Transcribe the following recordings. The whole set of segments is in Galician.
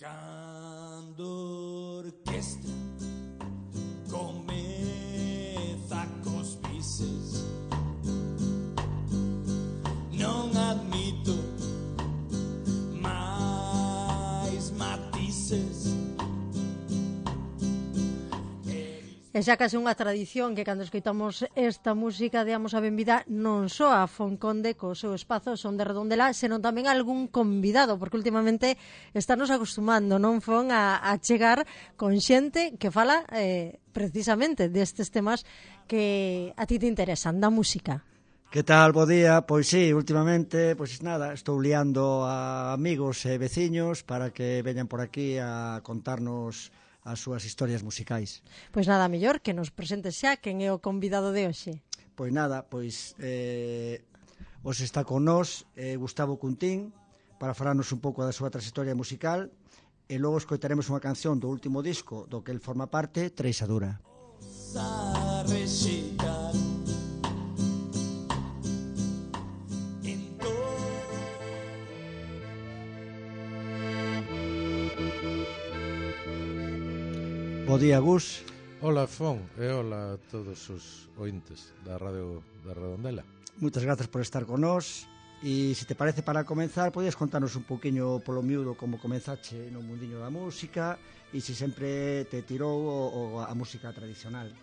Cando orquestra comeza cos bises, non admito máis matices. E xa case unha tradición que cando escoitamos esta música deamos a benvida non só a Fonconde co seu espazo Son de Redondela, senón tamén a algún convidado, porque últimamente estarnos acostumando, non Fon, a chegar con xente que fala precisamente destes temas que a ti te interesan, da música. Que tal, bo día? Pois sí, últimamente, pois nada, estou liando a amigos e veciños para que veñan por aquí a contarnos as súas historias musicais. Pois nada mellor que nos presentes xa quen é o convidado de hoxe. Pois nada, pois os está con nós Gustavo Cuntín para falarnos un pouco da súa trayectoria musical e logo escoitaremos unha canción do último disco do que el forma parte, Treixadura. Bo día, Gus. Hola, Fon, e hola a todos os ointes da Radio da Redondela. Moitas grazas por estar con nós. E se te parece, para comenzar, podías contarnos un poquinho polo miúdo como comenzache no mundiño da música e se sempre te tirou a música tradicional.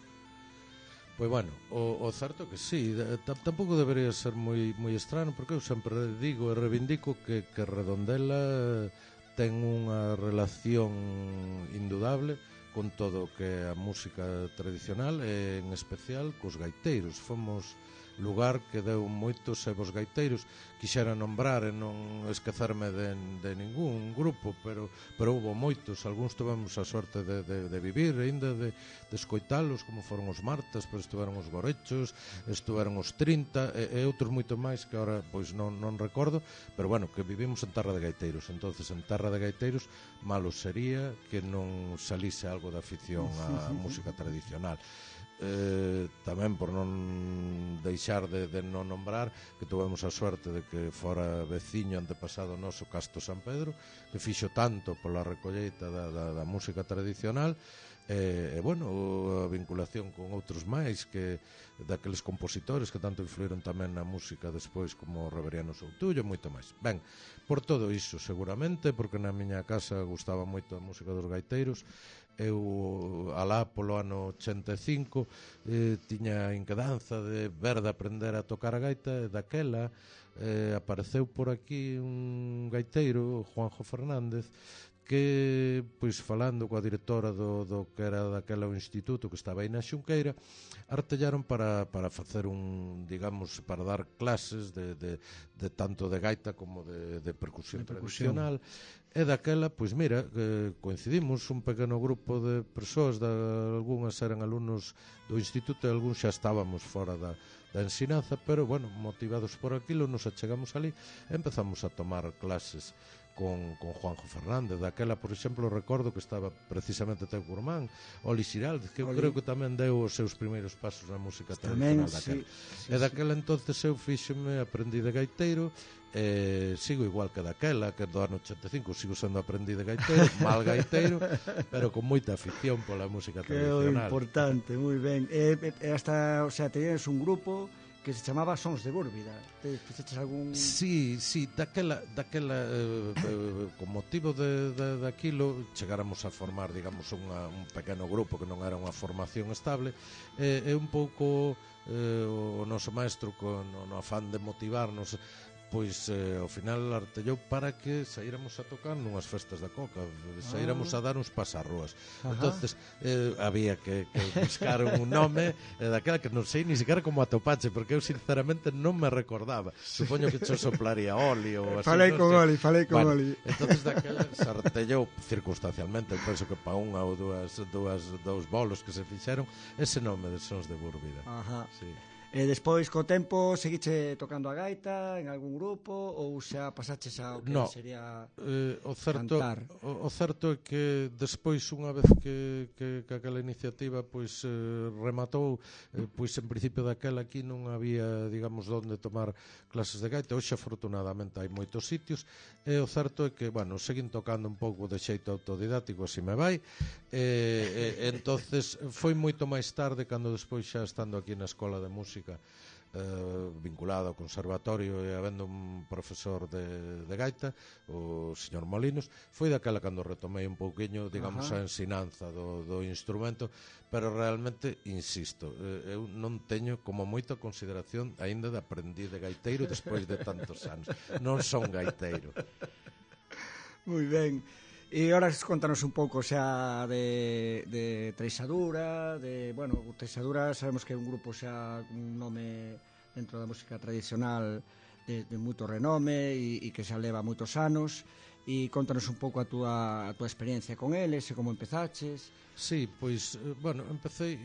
Pois bueno, o certo que sí, tampouco debería ser moi estrano, porque eu sempre digo e reivindico que Redondela ten unha relación indudable con todo o que é a música tradicional e en especial cos gaiteiros. Fomos lugar que deu moitos e vos gaiteiros. Quixera nombrar e non esquecerme de ningún grupo, pero houve moitos. Algúns tivemos a sorte de vivir ainda, de escoitalos, como foron os Martas, pero estiveron os Gorechos, estiveron os 30 e outros moito máis que agora pois non recordo, pero bueno, que vivimos en terra de gaiteiros. Entonces, en terra de gaiteiros, malo sería que non salise algo da afición á música tradicional. Tamén por non deixar de non nombrar que tuvemos a suerte de que fora veciño antepasado noso Casto San Pedro, que fixo tanto pola recolleita da música tradicional e bueno, a vinculación con outros máis que daqueles compositores que tanto influíron tamén na música despois, como Reveriano Soutullo, moito máis. Ben, por todo iso seguramente, porque na miña casa gustaba moito a música dos gaiteiros. Eu alá polo ano 85 tiña inquedanza de ver de aprender a tocar a gaita, e daquela apareceu por aquí un gaiteiro, Juanjo Fernández, que, pois, falando coa directora do que era daquela o instituto que estaba aí na Xunqueira, artellaron para facer digamos, para dar clases de tanto de gaita como de percusión tradicional. E daquela, pois mira, coincidimos un pequeno grupo de persoas, algunhas eran alumnos do instituto e algúns xa estábamos fora da ensinanza, pero, bueno, motivados por aquilo, nos achegamos ali e empezamos a tomar clases con Juanjo Fernández. Daquela, por exemplo, recordo que estaba precisamente teu curmán, Oli Xiraldez, que eu creo que tamén deu os seus primeiros pasos na música tradicional daquela. E daquela entonces eu fíxeme, aprendí de gaiteiro, sigo igual que daquela, que do ano 85 sigo sendo aprendí de gaiteiro, mal gaiteiro, pero con moita afición pola música tradicional. Que importante, moi ben. Hasta, o sea, tenías un grupo que se chamaba Sons de Búrbida. Fixeches algún... Sí, daquela con motivo daquilo chegáramos a formar, digamos, un pequeno grupo que non era unha formación estable, e un pouco o noso maestro no afán de motivarnos, pois ao final artellou para que saíramos a tocar nunhas festas da Coca, saíramos a dar uns pasarroas. Entonces había que buscar un nome daquela que non sei ni siquiera como atopache, porque eu sinceramente non me recordaba. Supoño que cho soplaría Oli ou así. Falei con Oli. Entonces daquela se artellou circunstancialmente, eu penso que pa unha ou dous bolos que se fixeron, ese nome de Sons de Búrbida. Ajá. Sí. E despois, co tempo, seguiche tocando a gaita en algún grupo ou xa pasaches ao que sería cantar? O certo é que despois, unha vez que aquela iniciativa pois rematou, pois en principio daquela aquí non había, digamos, onde tomar clases de gaita. Hoxe, afortunadamente, hai moitos sitios, e o certo é que, bueno, seguín tocando un pouco de xeito autodidáctico, así me vai, entonces foi moito máis tarde, cando despois xa estando aquí na Escola de Música, vinculado ao conservatorio e habendo un profesor de gaita, o señor Molinos, foi daquela cando retomei un pouquiño, digamos, a ensinanza do instrumento, pero realmente, insisto, eu non teño como moita consideración aínda de aprendiz de gaiteiro despois de tantos anos. Non son gaiteiro. Moi ben. E ahora contanos un pouco xa de Treixadura, bueno, Treixadura sabemos que é un grupo xa un nome dentro da música tradicional de moito renome e que xa leva moitos anos, e contanos un pouco a túa experiencia con eles e como empezaches. Sí, pois, bueno, empecé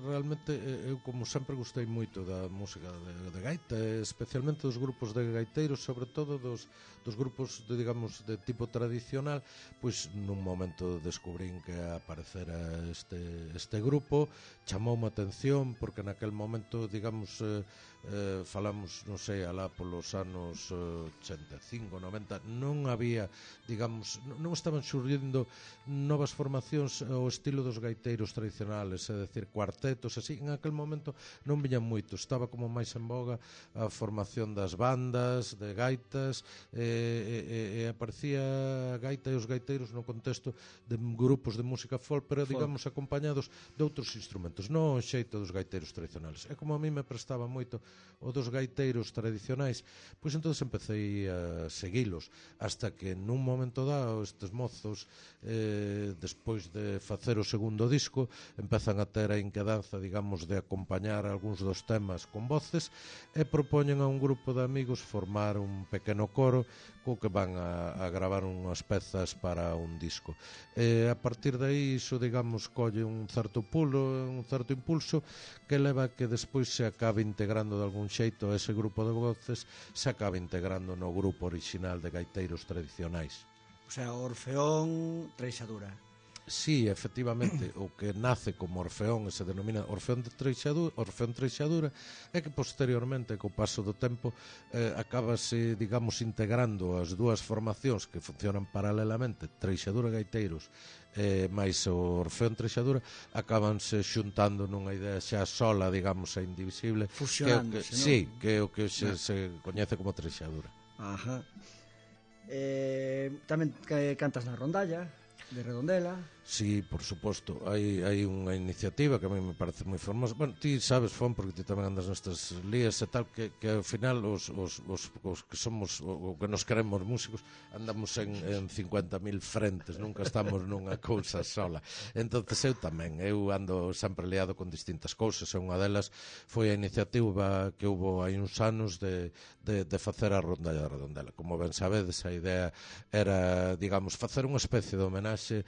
realmente, eu como sempre gostei moito da música de gaita, especialmente dos grupos de gaiteiros, sobre todo dos grupos digamos, de tipo tradicional. Pois nun momento descubrín que aparecera este grupo, chamoume a atención, porque naquel momento, digamos, falamos, non sei, alá polos anos 85, 90, non había, digamos, non estaban xurdindo novas formacións ao estilo dos gaiteiros tradicionales, é dicir, cuartetos, así. En aquel momento non viñan moito, estaba como máis en boga a formación das bandas de gaitas, e aparecía a gaita e os gaiteiros no contexto de grupos de música folk, pero digamos acompañados de outros instrumentos, non o xeito dos gaiteiros tradicionales. E como a mí me prestaba moito o dos gaiteiros tradicionais, pois entonces empecé a seguilos, hasta que nun momento dado estes mozos, despois de facer o segundo disco, empezan a ter a inquedanza, digamos, de acompañar algúns dos temas con voces, e propoñen a un grupo de amigos formar un pequeno coro co que van a gravar unhas pezas para un disco. A partir de aí, iso, digamos, colle un certo pulo, un certo impulso, que leva a que despois se acabe integrando de algún xeito ese grupo de voces, se acabe integrando no grupo orixinal de gaiteiros tradicionais. O sea, Orfeón Treixadura. Sí, efectivamente, o que nace como Orfeón e se denomina Orfeón Treixadura, é que posteriormente, co paso do tempo, acabase, digamos, integrando as dúas formacións que funcionan paralelamente, Treixadura Gaiteiros máis o Orfeón Treixadura, acabanse xuntando nunha idea xa sola, digamos, e indivisible, fusionándose, non? Sí, que é o que se coñece como Treixadura. Ajá. Tamén cantas na rondalla de Redondela. Sí, por suposto, hai unha iniciativa que a mí me parece moi formosa. Bueno, ti sabes, Fon, porque ti tamén andas nestas lías e tal, que ao final os que somos, o que nos queremos músicos, andamos en 50.000 frentes, nunca estamos nunha cousa sola. Entonces eu ando sempre liado con distintas cousas, e unha delas foi a iniciativa que houbo hai uns anos de facer a rondalla de Redondela. Como ben sabedes, a idea era, digamos, facer unha especie de homenaxe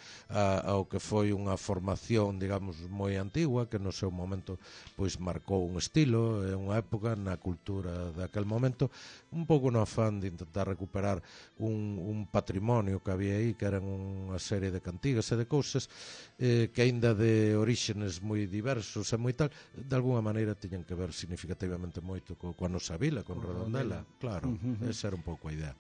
ao que foi unha formación, digamos, moi antigua, que no seu momento pois marcou un estilo e unha época na cultura daquel momento, un pouco no afán de intentar recuperar un patrimonio que había aí, que eran unha serie de cantigas e de cousas que aínda de oríxenes moi diversos e moi tal, de alguna maneira tiñan que ver significativamente moito coa nosa vila, con Redondela, claro, esa era un pouco a idea.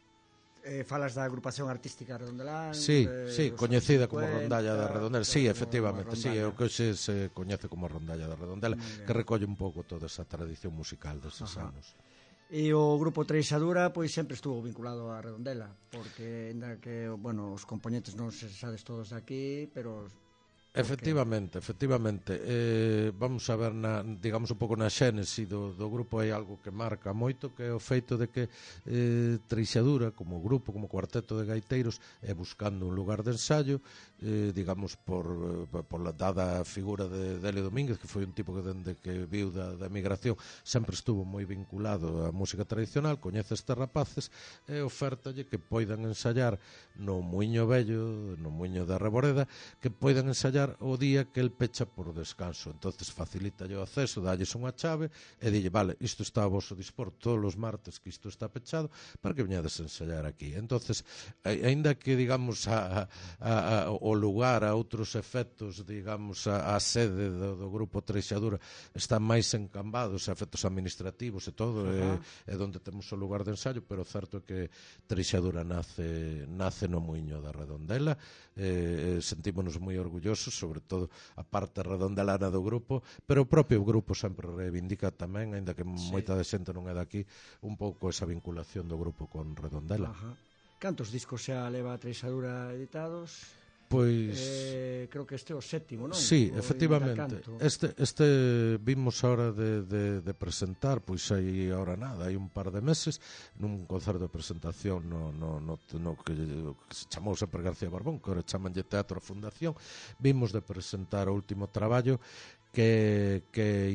Falas da agrupación artística Redondelán. Sí, coñecida como Rondalla da Redondela. Sí, efectivamente, sí, é o que se coñece como Rondalla da Redondela, que recolle un pouco toda esa tradición musical deses anos. E o grupo Treixadura pois sempre estuvo vinculado a Redondela, porque ainda que, bueno, os componentes non se sabes todos de aquí, pero Efectivamente. Vamos a ver, digamos, un pouco na xénese do grupo, hai algo que marca moito, que é o feito de que Treixadura, como grupo, como cuarteto de gaiteiros, é buscando un lugar de ensaio, digamos, por la dada figura de Delio Domínguez, que foi un tipo que dende que viu da emigración sempre estuvo moi vinculado á música tradicional, coñece estes rapaces e ofértalle que poidan ensayar no Muiño Vello, no Muiño da Reboreda, que poidan ensayar ensayar o día que el pecha por descanso. Entonces facilita o acceso, dalles unha chave e dille, vale, isto está a vosso dispor todos os martes que isto está pechado para que veñades a ensayar aquí. Entonces, aínda que, digamos, o lugar, a outros efectos, digamos, a sede do grupo Treixadura están máis encambados a efectos administrativos e todo, é onde temos o lugar de ensaio, pero certo é que Treixadura nace no muiño da Redondela. Sentímonos moi orgullosos, sobre todo a parte redondelana do grupo, pero o propio grupo sempre reivindica tamén, aínda que moita de xente non é daqui, un pouco esa vinculación do grupo con Redondela. Cantos discos xa leva a Treixadura editados? Pois creo que este é o 7º, non? Sí, efectivamente. Este vimos a hora de presentar, pois hai ahora nada, hai un par de meses, nun concerto de presentación no que se chamou sempre García Barbón, que ahora chamanlle Teatro Fundación. Vimos de presentar o último traballo que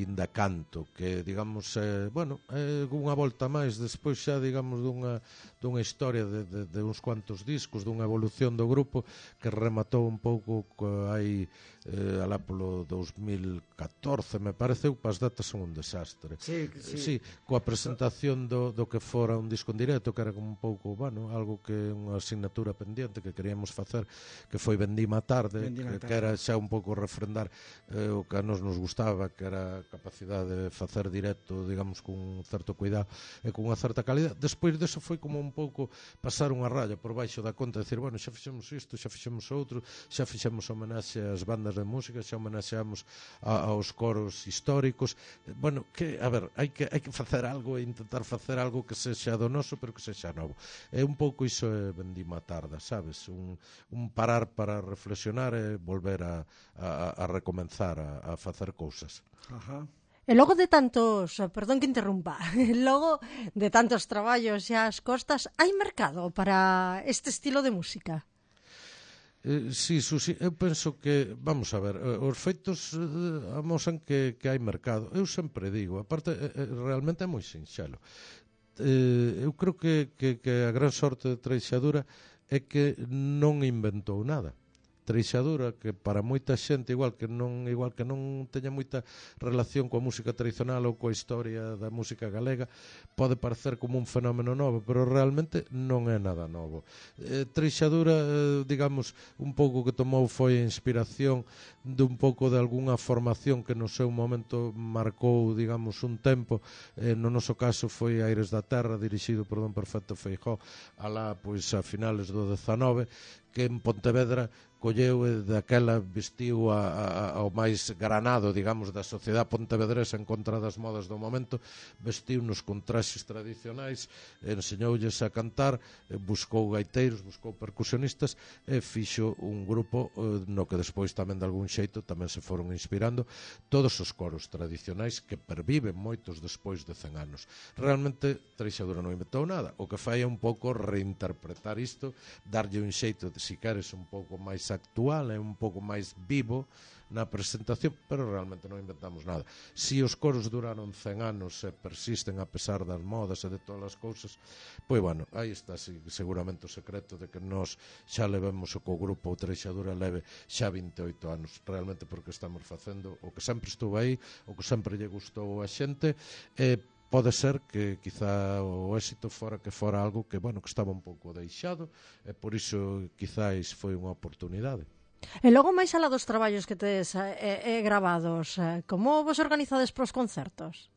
Inda Canto, que, digamos, unha volta máis despois xa, digamos, dunha historia de uns cuantos discos, dunha evolución do grupo que rematou un pouco hai alá polo 2014, me pareceu, as datas son un desastre. Sí, coa presentación do que fora un disco en directo, que era como un pouco, algo que unha asignatura pendiente que queríamos facer, que foi Vendima Tarde, que era xa un pouco refrendar o que a nos gustaba, que era a capacidade de facer directo, digamos, con un certo cuidado e con unha certa calidad. Despois deso foi como un pouco pasar unha raya por baixo da conta, decir, xa fixemos isto, xa fixemos outro, xa fixemos homenaxe ás bandas de música, xa homenaxeamos aos coros históricos. Que, a ver, hai que facer algo e intentar facer algo que sexa do noso, pero que sexa novo. É un pouco iso é Vendima Tarda, sabes? Un parar para reflexionar e volver a recomenzar a facer cousas. E logo de tantos, perdón que interrumpa, logo de tantos traballos xa as costas, hai mercado para este estilo de música? Sí, Susi, eu penso que, vamos a ver, os feitos amosan que hai mercado. Eu sempre digo, aparte, realmente é moi sinxelo. Eu creo que a gran sorte de Treixadura é que non inventou nada. Treixadura, que para moita xente igual que non teña moita relación coa música tradicional ou coa historia da música galega, pode parecer como un fenómeno novo, pero realmente non é nada novo. Treixadura, digamos, un pouco que tomou foi a inspiración de un pouco de algunha formación que no seu momento marcou, digamos, un tempo. No noso caso foi Aires da Terra, dirixido por Don Perfecto Feijóo, alá pois a finales do 19, que en Pontevedra colleu e daquela vestiu ao máis granado, digamos, da sociedade pontevedresa en contra das modas do momento, vestiu-nos con traxes tradicionais, enseñoulles a cantar, buscou gaiteiros, buscou percusionistas e fixo un grupo no que despois tamén de algún xeito tamén se foron inspirando todos os coros tradicionais que perviven moitos despois de 100 anos. Realmente Treixadura non inventou nada, o que fai é un pouco reinterpretar isto, darlle un xeito, se queres, un pouco máis actual, é un pouco máis vivo na presentación, pero realmente non inventamos nada. Si os coros duraron 100 anos e persisten a pesar das modas e de todas as cousas, pois aí está seguramente o secreto de que nós xa levemos o co grupo Treixadura leve xa 28 anos, realmente porque estamos facendo o que sempre estuvo aí, o que sempre lle gustou a xente, e pode ser que quizá o éxito fora algo que, que estaba un pouco deixado, e por iso quizáis foi unha oportunidade. E logo máis alá dos traballos que tedes gravados, como vos organizades pros concertos?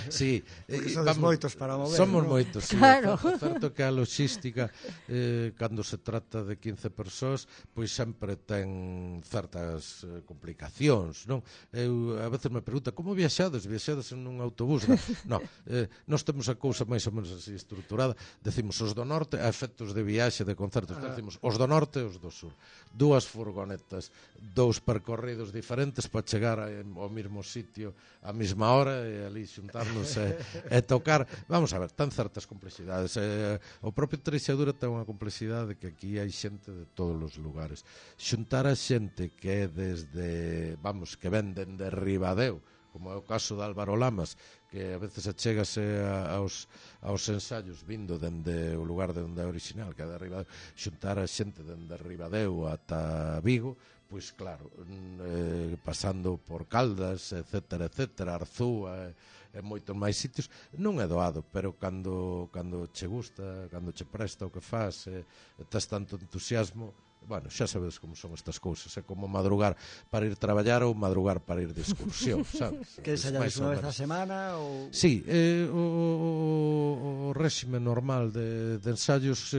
Sí, somos moitos para mover. Somos moitos, sí. Claro. Certo que a logística cando se trata de 15 persoas, pois sempre ten certas complicacións, non? Eu a veces me pregunta como viaxades en un autobús? Non, nós temos a cousa máis ou menos así estruturada, decimos os do norte, a efectos de viaxe de concertos, decimos os do norte e os do sur. 2 furgonetas, 2 percorridos diferentes para chegar ao mesmo sitio a mesma hora e ali xuntarnos e tocar. Vamos a ver, tan certas complexidades. O propio Treixadura ten unha complexidade que aquí hai xente de todos os lugares. Xuntar a xente que é desde, que venden de Ribadeo, como é o caso de Álvaro Lamas, que a veces achégase aos ensaios vindo dende o lugar de onde é original, que é de Ribadeo, xuntar a xente dende Ribadeo ata Vigo, pois claro, pasando por Caldas, etcétera, Arzúa e moitos máis sitios, non é doado, pero cando che gusta, cando che presta o que faz, tes tanto entusiasmo, bueno, xa sabedes como son estas cousas, é como madrugar para ir traballar ou madrugar para ir de excursión, sabes? Que ensayades unha vez a semana? Ou... Sí, o réxime normal de ensayos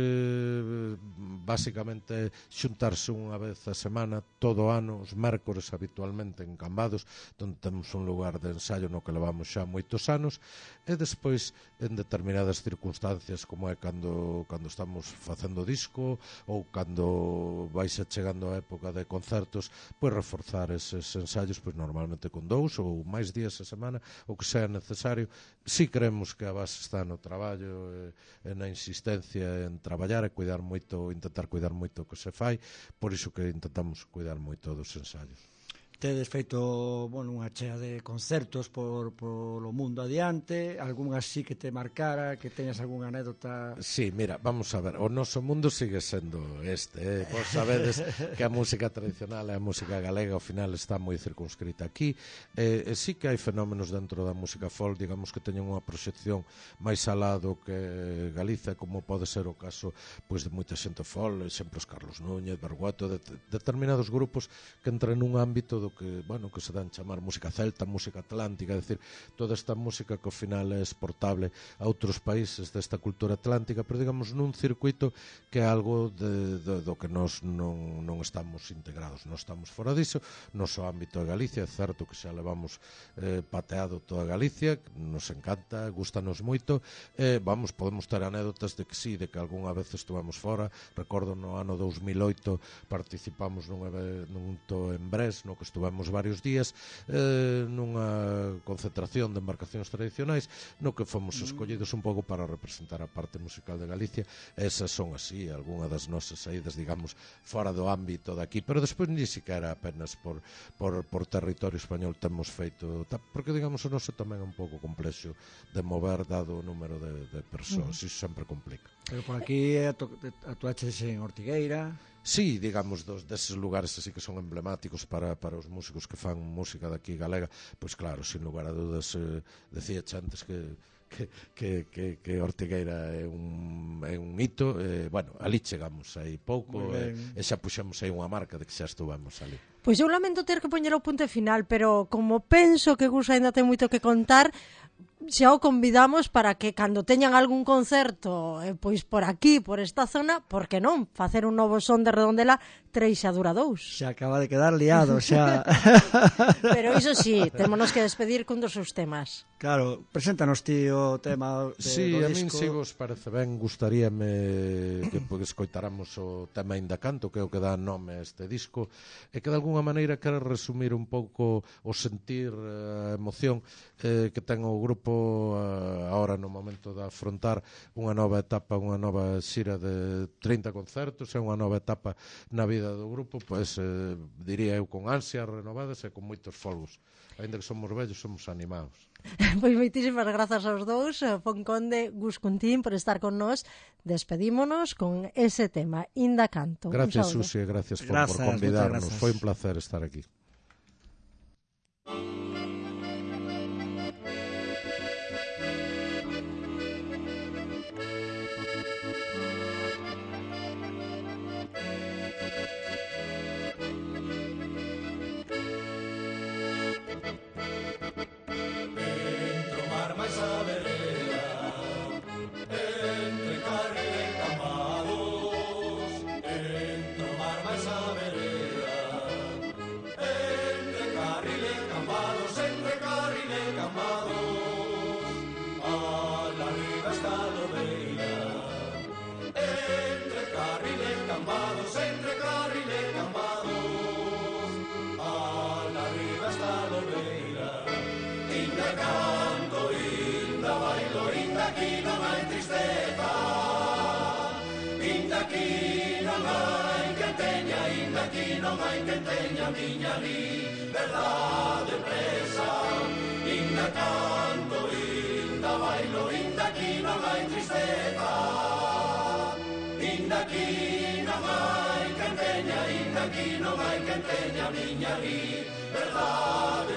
basicamente xuntarse unha vez a semana todo o ano, os mércores habitualmente en Cambados, onde temos un lugar de ensayo no que levamos xa moitos anos, e despois en determinadas circunstancias como é cando estamos facendo disco ou cando vais chegando a época de concertos, pois reforzar eses ensaios pois normalmente con 2 ou máis días a semana, o que sea necesario. Si creemos que a base está no traballo e na insistencia en traballar e cuidar moito, intentar cuidar moito o que se fai, por iso que intentamos cuidar moito dos ensaios. Tedes feito, bueno, unha chea de concertos polo mundo adiante, algún así que te marcara, que teñas algunha anécdota? Sí, mira, vamos a ver, o noso mundo sigue sendo vos sabedes que a música tradicional e a música galega ao final está moi circunscrita aquí, e sí que hai fenómenos dentro da música folk, digamos que teñen unha proxección máis alá do que Galicia, como pode ser o caso pois de moita xente folk, sempre os Carlos Núñez, Bergueto, determinados grupos que entran nun ámbito do que, bueno, que se dan chamar música celta, música atlántica, é dicir, toda esta música que ao final é exportable a outros países desta cultura atlántica, pero digamos nun circuito que é algo do que nós non estamos integrados, non estamos fora disso. Noso ámbito é Galicia, é certo que xa levamos pateado toda Galicia, nos encanta, gustanos moito, podemos ter anécdotas de que sí, de que algunha vez estuvamos fora. Recordo no ano 2008 participamos nun evento en Brest, no que estuvemos varios días nunha concentración de embarcacións tradicionais, no que fomos escollidos un pouco para representar a parte musical de Galicia. Esas son así, algunha das nosas saídas, digamos, fora do ámbito daqui, pero despois ni siquiera apenas por territorio español temos feito, porque digamos o noso tamén é un pouco complexo de mover dado o número de persoas, iso sempre complica. Pero por aquí atuaches en Ortigueira. Sí, digamos, deses lugares así que son emblemáticos para os músicos que fan música daqui galega, pois claro, sin lugar a dudas, decía antes que Ortigueira é un hito, bueno, ali chegamos aí pouco e xa puxemos aí unha marca de que xa estuvamos ali. Pois eu lamento ter que poñer o punto final, pero como penso que Gus ainda ten moito que contar, xa o convidamos para que cando teñan algún concerto pois por aquí, por esta zona, por que non facer un novo son de Redondela Treixadura 2. Xa acaba de quedar liado, xa. Pero iso sí, témonos que despedir cun dos seus temas. Claro, preséntanos ti o tema do sí, disco. A min se vos parece ben, gustaríame que escoitáramos o tema Inda Canto, que é o que dá nome a este disco, e que de alguna maneira quere resumir un pouco o sentir, a emoción que ten o grupo agora no momento de afrontar unha nova etapa, unha nova xira de 30 concertos, é unha nova etapa na vida do grupo, pois diría eu con ansias renovadas e con moitos folgos. Ainda que somos vellos, somos animados. Pois moitísimas grazas aos dous, Fonconde, Gus Cuntín, por estar con nós. Despedímonos con ese tema, Inda Canto. Gracias, Susi, gracias por convidarnos. Foi un placer estar aquí. Non hai que teña miña liberdade presa, inda canto tristeza. Inda aquí non hai quen teña, inda aquí non hai quen teña miña liberdade.